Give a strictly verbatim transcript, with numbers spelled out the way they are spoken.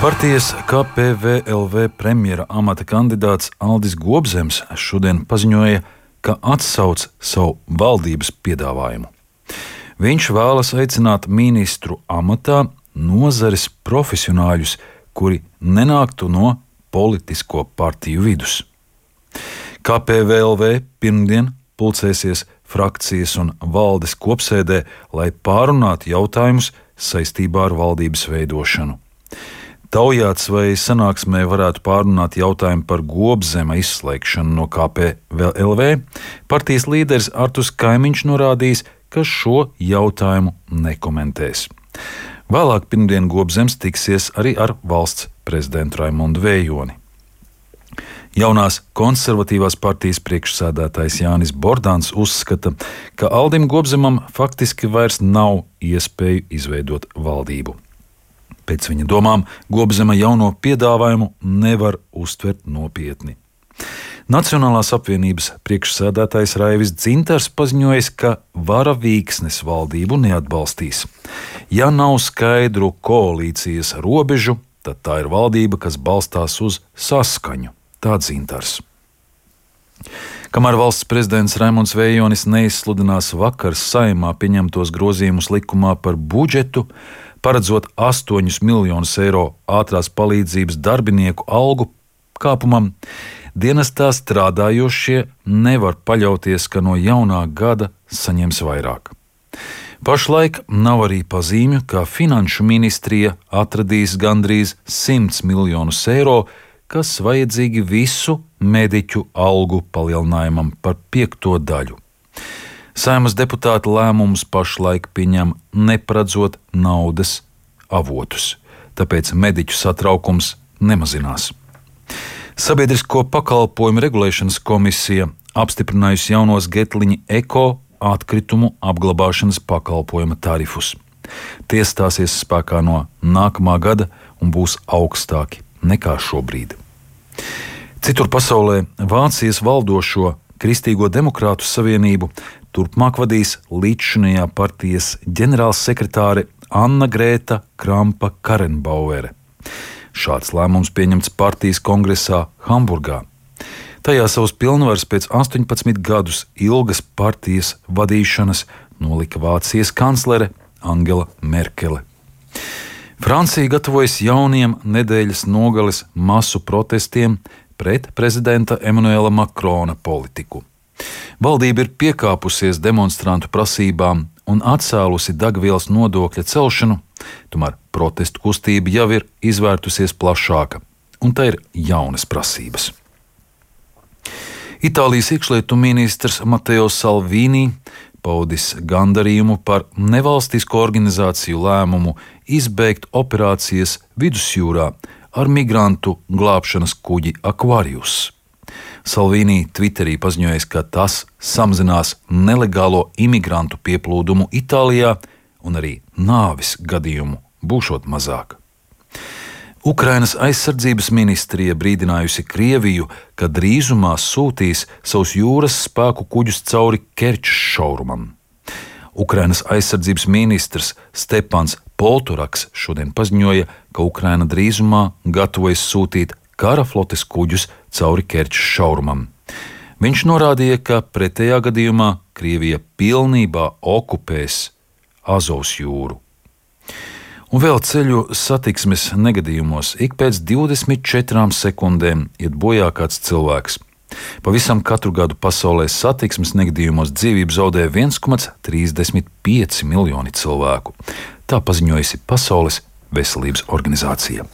Partijas K P V L V premjera amata kandidāts Aldis Gobzems šodien paziņoja, ka atsauc savu valdības piedāvājumu. Viņš vēlas aicināt ministru amatā nozares profesionāļus, kuri nenāktu no politisko partiju vidus. K P V L V pirmdien pulcēsies frakcijas un valdes kopsēdē, lai pārunātu jautājumus saistībā ar valdības veidošanu. Taujāts, vai sanāksmē varētu pārunāt jautājumu par Gobzema izslēgšanu no K P V L V, partijas līderis Arturs Kaimiņš norādījis, ka šo jautājumu nekomentēs. Vēlāk pirmdien Gobzems tiksies arī ar valsts prezidentu Raimondu Vējoni. Jaunās konservatīvās partijas priekšsēdētājs Jānis Bordāns uzskata, ka Aldim Gobzemam faktiski vairs nav iespēju izveidot valdību. Pēc viņa domām, Gobzema jauno piedāvājumu nevar uztvert nopietni. Nacionālās apvienības priekšsēdētājs Raivis Dzintars paziņojis, ka vara vīksnes valdību neatbalstīs. Ja nav skaidru koalīcijas robežu, tad tā ir valdība, kas balstās uz saskaņu. Tā Dzintars. Kamēr valsts prezidents Raimonds Vējonis neizsludinās vakar Saeimā pieņemtos grozījumus likumā par budžetu, paredzot astoņus miljonus eiro ātrās palīdzības darbinieku algu kāpumam, dienestā strādājošie nevar paļauties, ka no jaunā gada saņems vairāk. Pašlaik nav arī pazīmju, ka Finanšu ministrija atradīs gandrīz simts miljonus eiro, kas vajadzīgi visu mediķu algu palielinājumam par piekto daļu. Saeimas deputāta lēmumus pašlaik pieņem neparedzot naudas avotus, tāpēc mediķu satraukums nemazinās. Sabiedrisko pakalpojumu regulēšanas komisija apstiprinājusi jaunos Getliņa Eko atkritumu apglabāšanas pakalpojuma tarifus. Tie stāsies spēkā no nākamā gada un būs augstāki nekā šobrīd. Citur pasaulē Vācijas valdošo Kristīgo demokrātu savienību turpmāk vadīs līdzšinējā partijas ģenerālsekretāre Anna Grēta Krampa-Karenbauere. Šāds lēmums pieņemts partijas kongresā Hamburgā. Tajā savus pilnvaras pēc astoņpadsmit gadus ilgas partijas vadīšanas nolika Vācijas kanclere Angela Merkele. Francija gatavojas jauniem nedēļas nogales masu protestiem pret prezidenta Emanuela Makrona politiku. Valdība ir piekāpusies demonstrantu prasībām un atcēlusi degvielas nodokļa celšanu, tomēr protestu kustība jau ir izvērtusies plašāka, un tā ir jaunas prasības. Itālijas iekšlietu ministrs Matteo Salvini paudis gandarījumu par nevalstisko organizāciju lēmumu izbeigt operācijas vidusjūrā ar migrantu glābšanas kuģi Aquarius. Salvini Twitterī paziņojis, ka tas samazinās nelegālo imigrantu pieplūdumu Itālijā un arī nāvis gadījumu būšot mazāk. Ukrainas aizsardzības ministrija brīdinājusi Krieviju, ka drīzumā sūtīs savus jūras spēku kuģus cauri Kerčas šaurumam. Ukrainas aizsardzības ministrs Stepans Polturaks šodien paziņoja, ka Ukraina drīzumā gatavojas sūtīt kara flotes kuģus cauri Kerčas šaurumam. Viņš norādīja, ka pretējā gadījumā Krievija pilnībā okupēs Azovas jūru. Un vēl ceļu satiksmes negadījumos ik pēc divdesmit četrām sekundēm iet bojā kāds cilvēks. Pavisam katru gadu pasaulē satiksmes negadījumos dzīvību zaudē viens komats trīsdesmit pieci miljoni cilvēku. Tā paziņojusi Pasaules veselības organizācija.